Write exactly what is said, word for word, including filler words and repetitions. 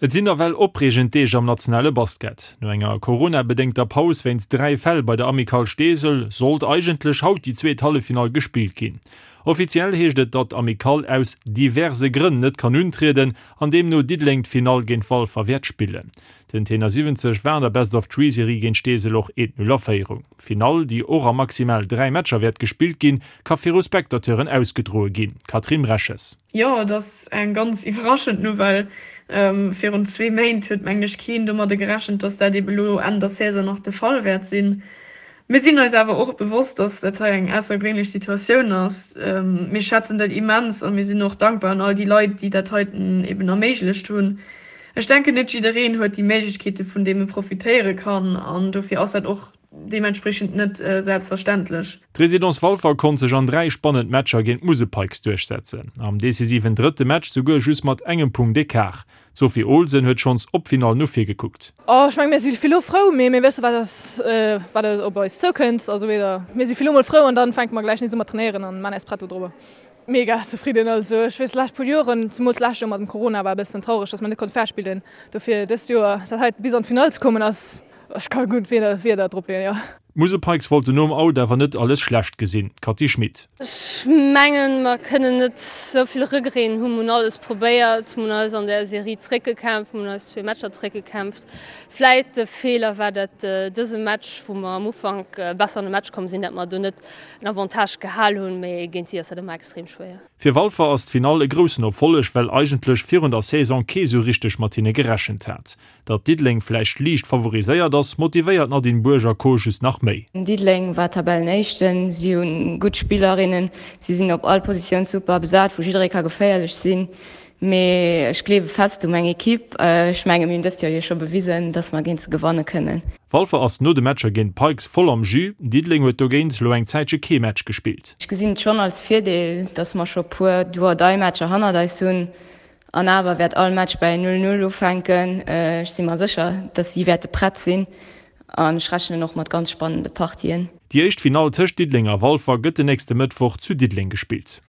Et sinn nawell opreegend Deeg am nationale Basket. No enger Corona-bedéngter Paus wéinst dräi Fäll bei der Amicale Steesel sollt eigentlech haut déi zweet Halleffinall gespillt ginn. Offiziell heescht et, datt d'Amicale aus diverse Grënn net kann untrieden an deemno Diddeleng d'Finall géint Walfer wäert spillen. Den Tenor siwwenzeg war an der Best-of-Three-Serie géint Steesel och eent Null a Féierung. D'Finall, déi och a maximal dräi Matcher wäert gespillt ginn, ka viru Spectateuren ausgedroe ginn. Catherine Bresches. Jo, et ass eng ganz iwwerraschend Nouvelle. Virun zwee Méint huet mengen ech keen domadder gerechent, dass dat ebe lo Enn der Saison nach de Fall wäert sinn. Mir sinn eis awer och bewosst, dass dat hei eng aussergewéinlech Situatioun ass. Mir schätzen dat immens a mir sinn och dankbar un all déi Leit, déi dat heiten eben erméiglecht hunn. Ech denken, net jiddereen huet déi Méiglechkeete vun deem e profitéiere kann an dofir ass dat och deementspriechend net selbstverständlech. D'Résidence Walfer konnt sech an dräi spannend Matcher géint d'Musel Pikes duerchsetzen. Am decisiven drëtte Match souguer just mat engem Punkt Ecart. D'Sophie Olsen huet schonns op d'Finall no vir gekuckt. Oh, ech menge mir si vill elo frou, mee mir wësse wat ass, wat op eis zoukënnt. Also weder mir si vill elo mol frou an dann fänke mer gläich nees u mat trainéieren an man eis prett dodrobber. Mega zefridden. Also ech weess lescht puer Joren, zemools lescht Joer mat dem Corona war e bëssen traureg, dass mer net konnte fair spillen. Dofir dëst Joer dat hei bis an d'Finall ze kommen ass, ech ka gutt Wierder Wierder drop leeën, jo. D'Musel Pikes wollten nom Out awer net alles schlecht gesinn, Cathy Schmit. Ech mengen, mer kënnen net esou vill Regreten hunn. Mer hunn alles probéiert, mer hunn eis an der Serie zréckgekämpft, mer hunn eis zwee Matcher zréckgekämpft. Vläit de Feeler war dat dëse Match, wou mer am Ufank besser an de Match komm sinn, dat mer do net en Avantage gehal hunn, mee géint si ass dat ëmmer extrem schwéier. Fir Walfer ass d'Finall e groussen Erfolleg, well eigentlech virun der Saison kee sou richteg mat hinne gerechent hat. Datt Diddeleng vläicht liicht favoriséiert ass, motivéiert d'Nadine Bourg a Co just nach méi. Diddeleng war Tabellenéischten, si hu gutt Spillerinnen, si sinn op all Positioun super besat, wou jidderee ka geféierlech sinn. Mee ech gleewe fest u meng Ekipp. Ech menge mir hunn dëst Joer jo scho bewisen, datt mer géint se gewanne kënnen. Walfer ass no de Matcher géint d'Pikes voll am Jus, Diddeleng huet dogéint elo eng Zäitche kee Match gespillt. Ech gesinn et schonn als Virdeel, datt mer scho puer Do-or-die-Matcher hannert eis hunn. An awer wäert all Match bei null null ufänken. Ech si mer sécher, dass si wäerte prett sinn an ech rechnen och mat ganz spannende Partien. Déi éischt Finall tëscht Diddeleng a Walfer gëtt den nächste Mëttwoch zu Diddeleng gespillt.